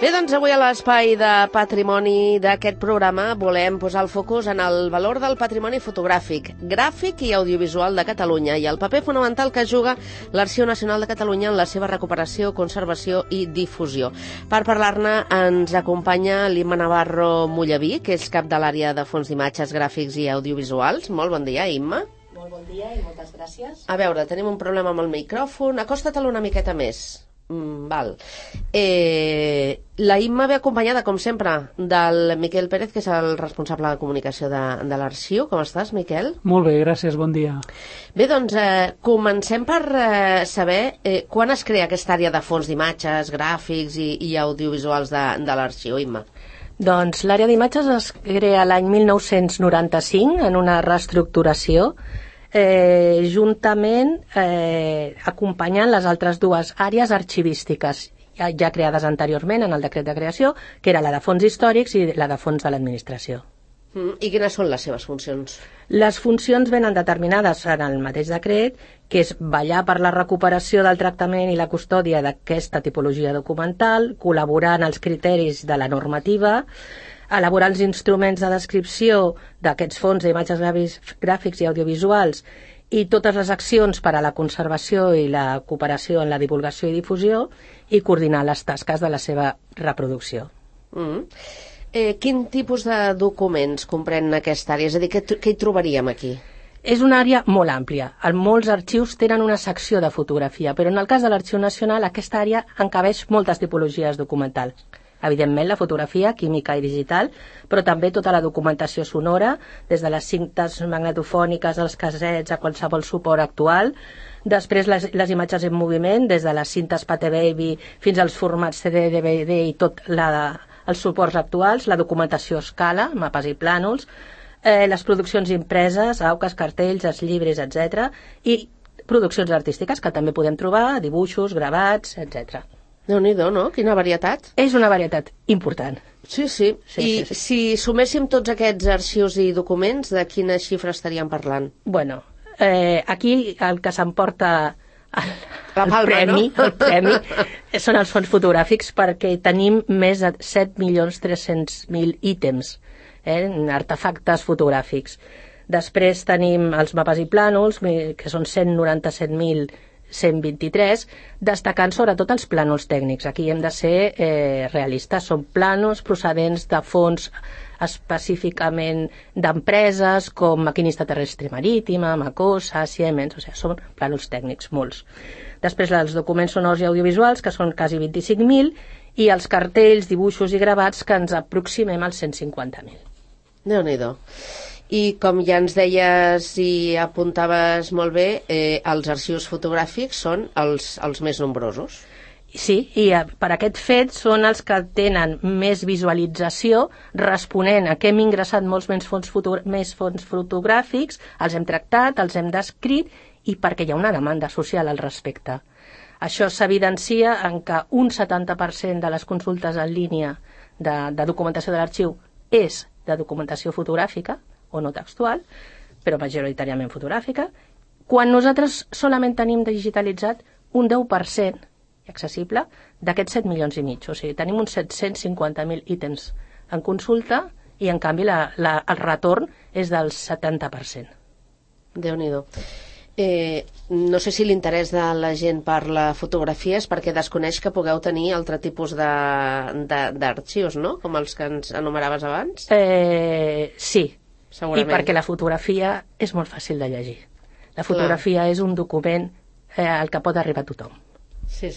Bé, doncs avui a l'espai de patrimoni d'aquest programa volem posar el focus en el valor del patrimoni fotogràfic, gràfic i audiovisual de Catalunya i el paper fonamental que juga l'Arxiu Nacional de Catalunya en la seva recuperació, conservació i difusió. Per parlar-ne ens acompanya l'Imma Navarro Mollaví, que és cap de l'àrea de fons d'imatges, gràfics i audiovisuals. Molt bon dia, Imma. Molt bon dia i moltes gràcies. A veure, tenim un problema amb el micròfon. Acosta-te'l una miqueta més. Val. La Imma ve acompanyada, com sempre, del Miquel Pérez, que és el responsable de comunicació de l'arxiu. Com estàs, Miquel? Molt bé, gràcies, bon dia. Bé, doncs, comencem per saber quan es crea aquesta àrea de fons d'imatges, gràfics i audiovisuals de l'arxiu, Imma. Doncs l'àrea d'imatges es crea l'any 1995 en una reestructuració juntament acompanyant les altres dues àrees arxivístiques ja creades anteriorment en el decret de creació, que era la de fons històrics i la de fons de l'administració. I quines són les seves funcions? Les funcions venen determinades en el mateix decret, que és vetllar per la recuperació del tractament i la custòdia d'aquesta tipologia documental, col·laborar en els criteris de la normativa, elaborar els instruments de descripció d'aquests fons d'imatges gràfics i audiovisuals i totes les accions per a la conservació i la cooperació en la divulgació i difusió i coordinar les tasques de la seva reproducció. Quin tipus de documents comprèn aquesta àrea? És a dir, què hi trobaríem aquí? És una àrea molt àmplia. Molts arxius tenen una secció de fotografia, però en el cas de l'Arxiu Nacional aquesta àrea encabeix moltes tipologies documentals. Evidentment, la fotografia, química i digital, però també tota la documentació sonora, des de les cintes magnetofòniques, els casets, a qualsevol suport actual. Després, les imatges en moviment, des de les cintes Pate Baby fins als formats CD, DVD i tot els suports actuals, la documentació a escala, mapes i plànols, les produccions impreses, auques, cartells, llibres, etc. I produccions artístiques que també podem trobar, dibuixos, gravats, etc. Déu-n'hi-do, no? Quina varietat. És una varietat important. Sí. I si suméssim tots aquests arxius i documents, de quina xifra estaríem parlant? Bueno, aquí el que s'emporta el premi són els fons fotogràfics, perquè tenim més de 7.300.000 ítems, artefactes fotogràfics. Després tenim els mapes i plànols, que són 197.123, destacant sobretot els plànols tècnics. Aquí hem de ser realistes. Són plànols procedents de fons específicament d'empreses com Maquinista Terrestre Marítima, Macosa, Siemens, són plànols tècnics, molts. Després els documents sonors i audiovisuals, que són quasi 25.000, i els cartells, dibuixos i gravats, que ens aproximem als 150.000. Déu-n'hi-do. I com ja ens deies i apuntaves molt bé, els arxius fotogràfics són els més nombrosos. Sí, i per aquest fet són els que tenen més visualització, responent a que hem ingressat molts més fons fotogràfics, els hem tractat, els hem descrit, i perquè hi ha una demanda social al respecte. Això s'evidencia en que un 70% de les consultes en línia de documentació de l'arxiu és de documentació fotogràfica, o no textual, però majoritàriament fotogràfica, quan nosaltres solament tenim digitalitzat un 10% accessible d'aquests 7,5 milions. O sigui, tenim uns 750.000 ítems en consulta i, en canvi, el retorn és del 70%. Déu-n'hi-do. No sé si l'interès de la gent per la fotografia és perquè desconeix que pugueu tenir altre tipus d'arxius, no? Com els que ens enumeraves abans? Sí. Segurament. I perquè la fotografia és molt fàcil de llegir. La fotografia és un document al que pot arribar tothom. Sí.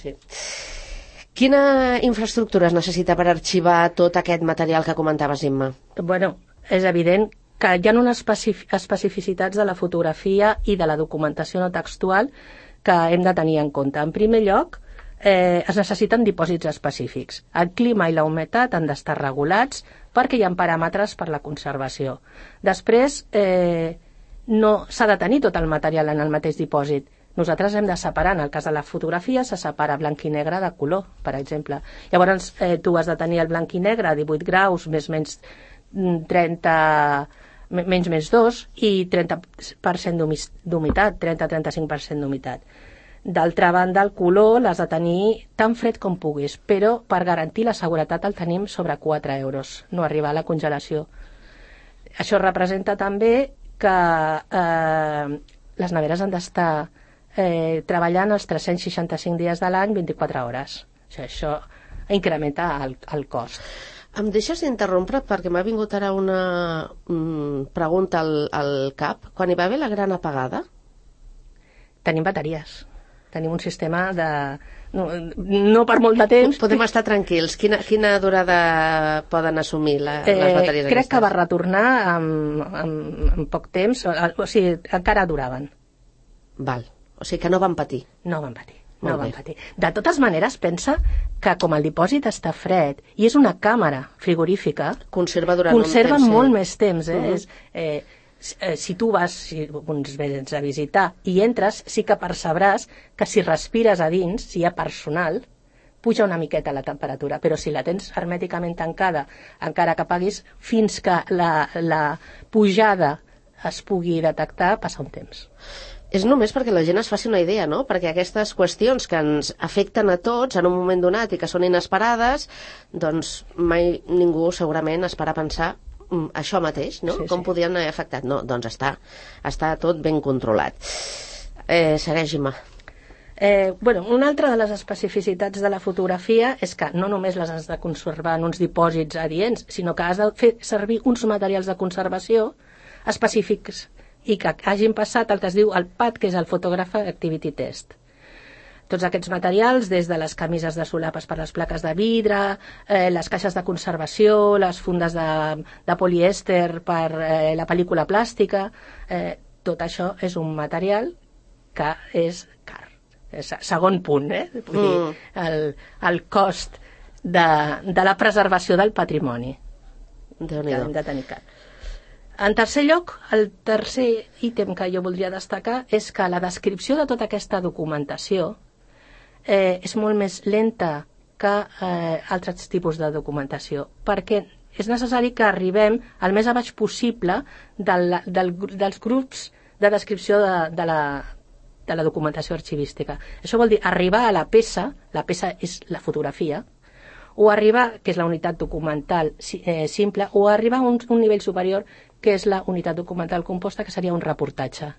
Quina infraestructura es necessita per arxivar tot aquest material que comentaves, Imma? Bueno, és evident que hi ha unes especificitats de la fotografia i de la documentació no textual que hem de tenir en compte. En primer lloc, es necessiten dipòsits específics. El clima i la humitat han d'estar regulats perquè hi ha paràmetres per la conservació. Després, no s'ha de tenir tot el material en el mateix dipòsit. Nosaltres hem de separar, en el cas de la fotografia, se separa blanc i negre de color, per exemple. Llavors, tu has de tenir el blanc i negre a 18 graus, menys 2, i 30% d'humitat, 30-35% d'humitat. D'altra banda, el color l'has de tenir tan fred com puguis, però per garantir la seguretat el tenim sobre 4 euros, no arribar a la congelació. Això representa també que les neveres han d'estar treballant els 365 dies de l'any, 24 hores. Això incrementa el cost. Em deixes d'interrompre perquè m'ha vingut ara una pregunta al cap. Quan hi va haver la gran apagada? Tenim bateries. Tenim un sistema de... No per molt de temps. Podem estar tranquils. Quina durada poden assumir les bateries aquestes? Crec que va retornar en poc temps. O sigui, encara duraven. Val. O sigui que no van patir. No van patir. De totes maneres, pensa que com el dipòsit està fred i és una càmera frigorífica, conserva durant un temps, molt més temps. Si tu vas, si uns vens a visitar i entres, sí que percebràs que si respires a dins, si hi ha personal, puja una miqueta la temperatura, però si la tens hermèticament tancada, encara que apaguis, fins que la pujada es pugui detectar, passa un temps. És només perquè la gent es faci una idea, no? Perquè aquestes qüestions que ens afecten a tots en un moment donat i que són inesperades, doncs mai ningú segurament es para a pensar això mateix, no? Sí, com podien haver afectat? No, doncs està tot ben controlat. Segueix, Imma. Una altra de les especificitats de la fotografia és que no només les has de conservar en uns dipòsits adients, sinó que has de fer servir uns materials de conservació específics i que hagin passat el que es diu el PAT, que és el Photographic Activity Test. Tots aquests materials, des de les camises de solapes per les plaques de vidre, les caixes de conservació, les fundes de polièster per la pel·lícula plàstica, tot això és un material que és car. És segon punt, vull dir, el cost de la preservació del patrimoni. Déu-n'hi-do. Hem de tenir car. En tercer lloc, el tercer ítem que jo voldria destacar és que la descripció de tota aquesta documentació és molt més lenta que altres tipus de documentació, perquè és necessari que arribem al més a baix possible dels grups de descripció de la documentació arxivística. Això vol dir arribar a la peça és la fotografia, o arribar, que és la unitat documental simple, o arribar a un nivell superior, que és la unitat documental composta, que seria un reportatge.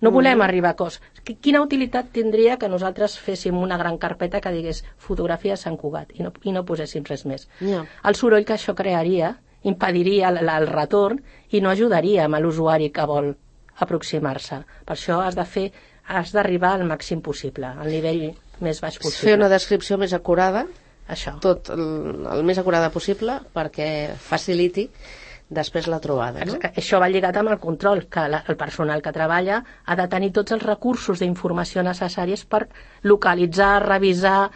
No volem arribar a cos. Quina utilitat tindria que nosaltres féssim una gran carpeta que digués fotografia a Sant Cugat i no poséssim res més? El soroll que això crearia impediria el retorn i no ajudaria a l'usuari que vol aproximar-se. Per això has d'arribar al màxim possible, al nivell més baix possible. Fer una descripció més acurada, això. Tot el més acurada possible, perquè faciliti després la trobada, no? Això va lligat amb el control, que el personal que treballa ha de tenir tots els recursos d'informació necessaris per localitzar, revisar,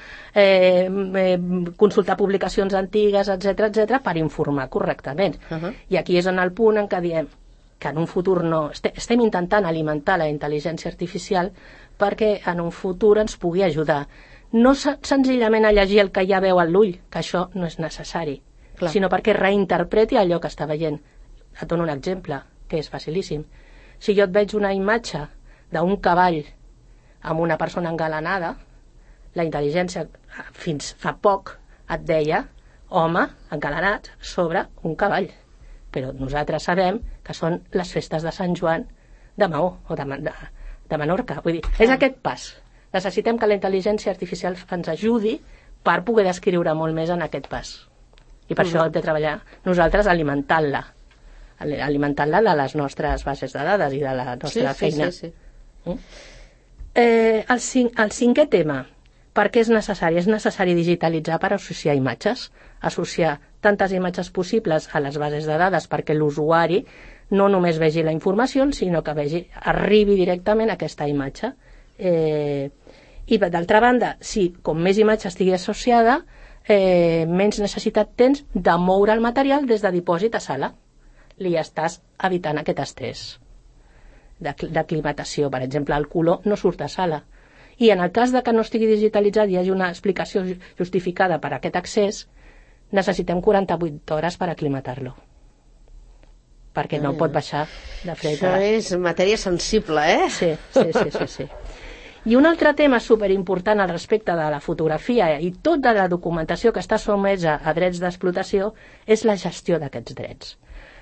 consultar publicacions antigues, etc per informar correctament. I aquí és en el punt en què diem que en un futur no... Estem intentant alimentar la intel·ligència artificial perquè en un futur ens pugui ajudar. No senzillament a llegir el que ja veu a l'ull, que això no és necessari, sinó perquè reinterpreti allò que està veient. Et dono un exemple, que és facilíssim. Si jo et veig una imatge d'un cavall amb una persona engalanada, la intel·ligència fins fa poc et deia home engalanat sobre un cavall. Però nosaltres sabem que són les festes de Sant Joan de Maó o de Menorca. Vull dir, és aquest pas. Necessitem que la intel·ligència artificial ens ajudi per poder descriure molt més en aquest pas. I per això hem de treballar nosaltres alimentant-la de les nostres bases de dades i de la nostra feina. El cinquè tema, per què és necessari? És necessari digitalitzar per associar imatges, associar tantes imatges possibles a les bases de dades perquè l'usuari no només vegi la informació, sinó que arribi directament a aquesta imatge. I d'altra banda, si com més imatge estigui associada, menys necessitat tens de moure el material des de dipòsit a sala. Li estàs evitant aquest estrès d'aclimatació. Per exemple, el color no surt a sala. I en el cas de que no estigui digitalitzat i hi hagi una explicació justificada per a aquest accés, necessitem 48 hores per aclimatar-lo. Perquè no pot baixar de fred. Això és matèria sensible, Sí. I un altre tema superimportant al respecte de la fotografia i tota la documentació que està sotmesa a drets d'explotació és la gestió d'aquests drets.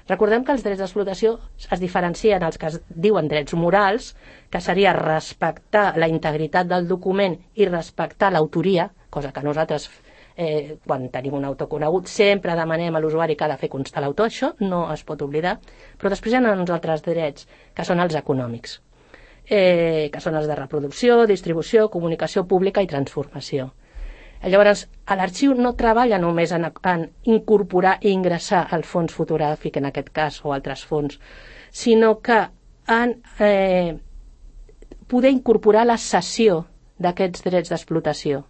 Recordem que els drets d'explotació es diferencien els que es diuen drets morals, que seria respectar la integritat del document i respectar l'autoria, cosa que nosaltres, quan tenim un autor conegut, sempre demanem a l'usuari que ha de fer constar l'autor, això no es pot oblidar, però després hi ha uns altres drets, que són els econòmics, que són els de reproducció, distribució, comunicació pública i transformació. Llavors, l'arxiu no treballa només en incorporar i ingressar el fons fotogràfic, en aquest cas, o altres fons, sinó que en poder incorporar la cessió d'aquests drets d'explotació,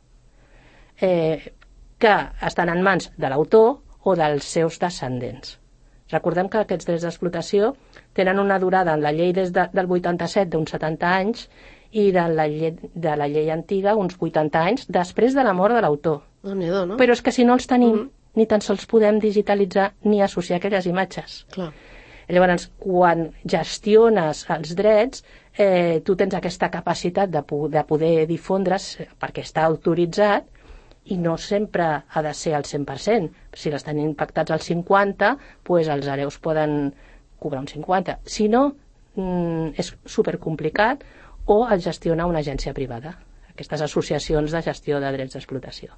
que estan en mans de l'autor o dels seus descendents. Recordem que aquests drets d'explotació tenen una durada en la llei des del 87 d'uns 70 anys i de la llei antiga uns 80 anys després de la mort de l'autor. No? Però és que si no els tenim, ni tan sols podem digitalitzar ni associar aquelles imatges. Clar. Llavors, quan gestiones els drets, tu tens aquesta capacitat de poder difondre's perquè està autoritzat i no sempre ha de ser al 100%. Si les tenim pactats al 50%, doncs els hereus poden cobrar un 50%. Si no, és supercomplicat o el gestiona una agència privada, aquestes associacions de gestió de drets d'explotació.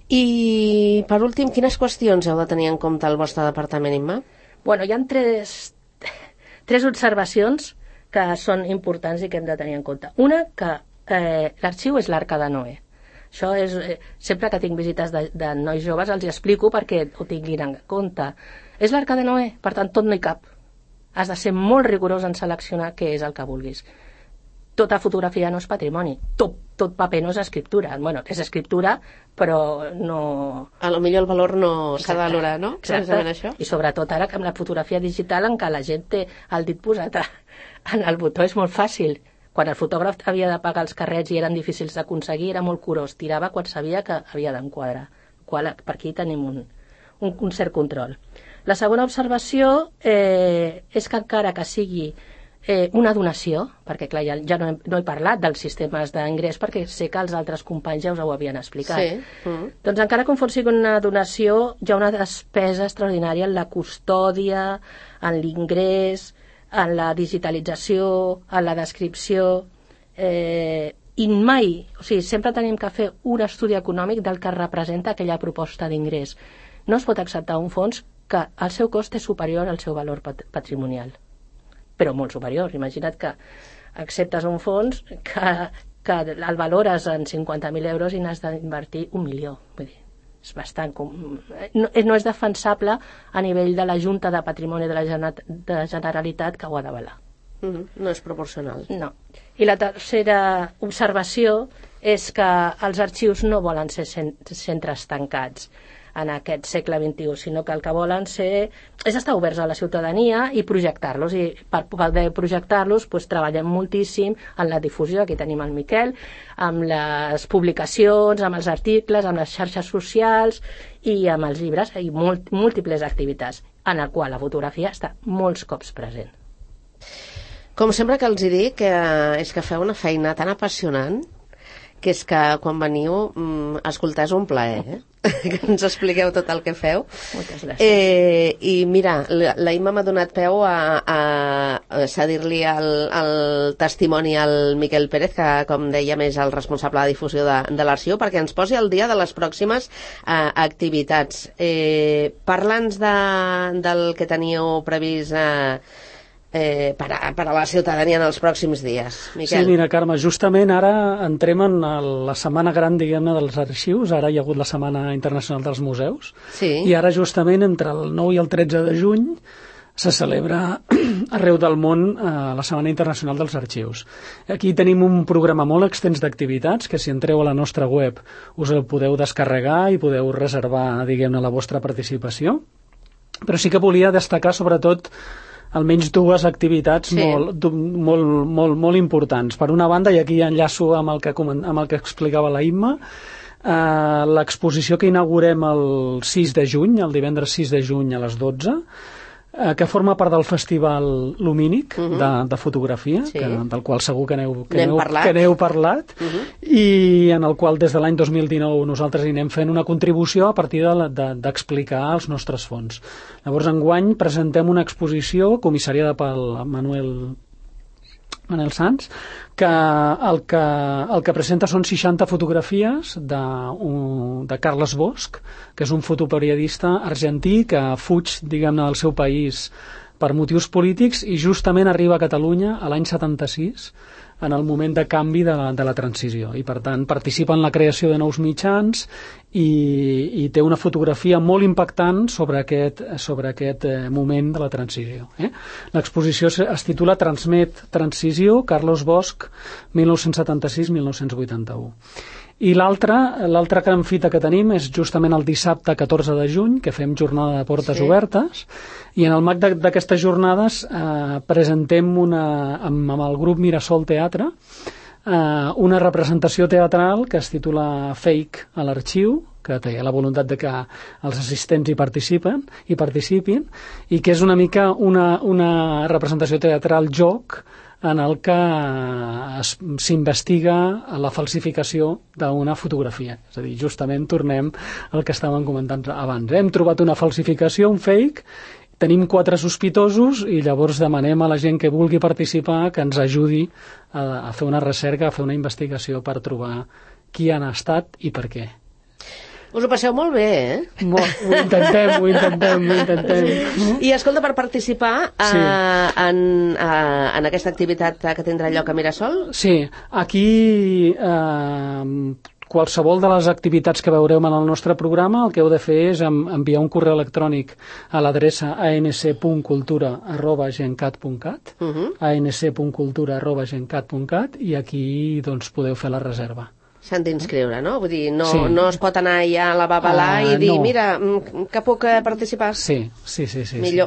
I, per últim, quines qüestions heu de tenir en compte al vostre departament, Imma? Bueno, hi ha tres observacions que són importants i que hem de tenir en compte. Una, que l'arxiu és l'Arca de Noé. Això és, sempre que tinc visites de nois joves els explico perquè ho tinguin en compte. És l'Arca de Noé, per tant, tot no hi cap. Has de ser molt rigorós en seleccionar què és el que vulguis. Tota fotografia no és patrimoni, tot paper no és escriptura. Bueno, és escriptura, però no... A lo millor el valor no s'ha de valorar, no? Exacte. Això. I sobretot ara que amb la fotografia digital en què la gent té el dit posat en el botó és molt fàcil. Quan el fotògraf havia de pagar els carrets i eren difícils d'aconseguir, era molt curós, tirava quan sabia que havia d'enquadrar. Per aquí tenim un cert control. La segona observació és que encara que sigui una donació, perquè clar, ja no he parlat dels sistemes d'ingrés perquè sé que els altres companys ja us ho havien explicat. Sí. Doncs encara que sigui una donació, hi ha una despesa extraordinària en la custòdia, en l'ingrés, en la digitalització, en la descripció, i mai, o sigui, sempre tenim que fer un estudi econòmic del que representa aquella proposta d'ingrés. No es pot acceptar un fons que el seu cost és superior al seu valor patrimonial, però molt superior. Imagina't que acceptes un fons que el valores en 50.000 euros i n'has d'invertir 1 milió. Vull dir, és bastant... No és defensable a nivell de la Junta de Patrimoni de la Generalitat que ho ha d'avalar. No és proporcional. No. I la tercera observació és que els arxius no volen ser centres tancats en aquest segle XXI, sinó que el que volen és estar oberts a la ciutadania i projectar-los, i per poder projectar-los treballem moltíssim en la difusió, aquí tenim el Miquel, amb les publicacions, amb els articles, amb les xarxes socials i amb els llibres, i múltiples activitats en el qual la fotografia està molts cops present. Com sempre que els dic, és que feu una feina tan apassionant que és que quan veniu escoltar és un plaer, que ens expliqueu tot el que feu. Moltes gràcies. I mira, la Imma m'ha donat peu a cedir-li el testimoni al Miquel Pérez, que com dèiem és el responsable de difusió de l'arxiu, perquè ens posi al dia de les pròximes activitats. Parla'ns del que teníeu previst per a la ciutadania en els pròxims dies. Miquel. Sí, mira, Carme, justament ara entrem en la setmana gran, diguem-ne, dels arxius. Ara hi ha hagut la Setmana Internacional dels Museus. Sí. I ara, justament, entre el 9 i el 13 de juny se celebra arreu del món la Setmana Internacional dels Arxius. Aquí tenim un programa molt extens d'activitats que, si entreu a la nostra web, us el podeu descarregar i podeu reservar, diguem-ne, la vostra participació. Però sí que volia destacar, sobretot, almenys dues activitats molt importants. Per una banda, i aquí enllaço amb el que explicava la Imma, l'exposició que inaugurem el 6 de juny, el divendres 6 de juny a les 12, que forma part del Festival Lumínic de fotografia, del qual segur que n'heu parlat, i en el qual des de l'any 2019 nosaltres hi anem fent una contribució a partir d'explicar els nostres fons. Llavors, enguany presentem una exposició comissariada pel Manel Sans, que el que presenta són 60 fotografies de Carles Bosch, que és un fotoperiodista argentí que fuig, diguem-ne, del seu país per motius polítics i justament arriba a Catalunya a l'any 76, en el moment de canvi de la transició, i per tant participa en la creació de nous mitjans i té una fotografia molt impactant sobre aquest moment de la transició. L'exposició es titula Transmet Transició, Carles Bosch, 1976-1981. I l'altra gran fita que tenim és justament el dissabte 14 de juny, que fem jornada de portes obertes, i en el marc d'aquestes jornades presentem amb el grup Mirasol Teatre una representació teatral que es titula Fake a l'arxiu, que té la voluntat de que els assistents hi participin, i que és una mica una representació teatral joc en el que s'investiga la falsificació d'una fotografia. És a dir, justament tornem al que estàvem comentant abans. Hem trobat una falsificació, un fake, tenim 4 sospitosos i llavors demanem a la gent que vulgui participar que ens ajudi a fer una recerca, a fer una investigació per trobar qui han estat i per què. Us ho passeu molt bé, Ho intentem. I escolta, per participar en aquesta activitat que tindrà lloc a Mirasol? Sí, aquí qualsevol de les activitats que veureu en el nostre programa, el que heu de fer és enviar un correu electrònic a l'adreça anc.cultura@gencat.cat, anc.cultura@gencat.cat, i aquí doncs podeu fer la reserva. S'han d'inscriure, no? Vull dir, no es pot anar ja a la babalà i dir, mira, que puc participar? Sí.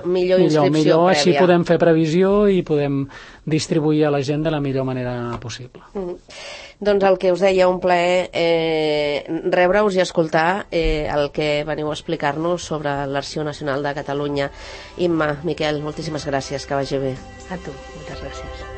Millor inscripció prèvia. Així podem fer previsió i podem distribuir a la gent de la millor manera possible. Doncs el que us deia, un plaer rebre-us i escoltar el que veniu a explicar-nos sobre l'Arxiu Nacional de Catalunya. Imma, Miquel, moltíssimes gràcies, que vagi bé. A tu, moltes gràcies.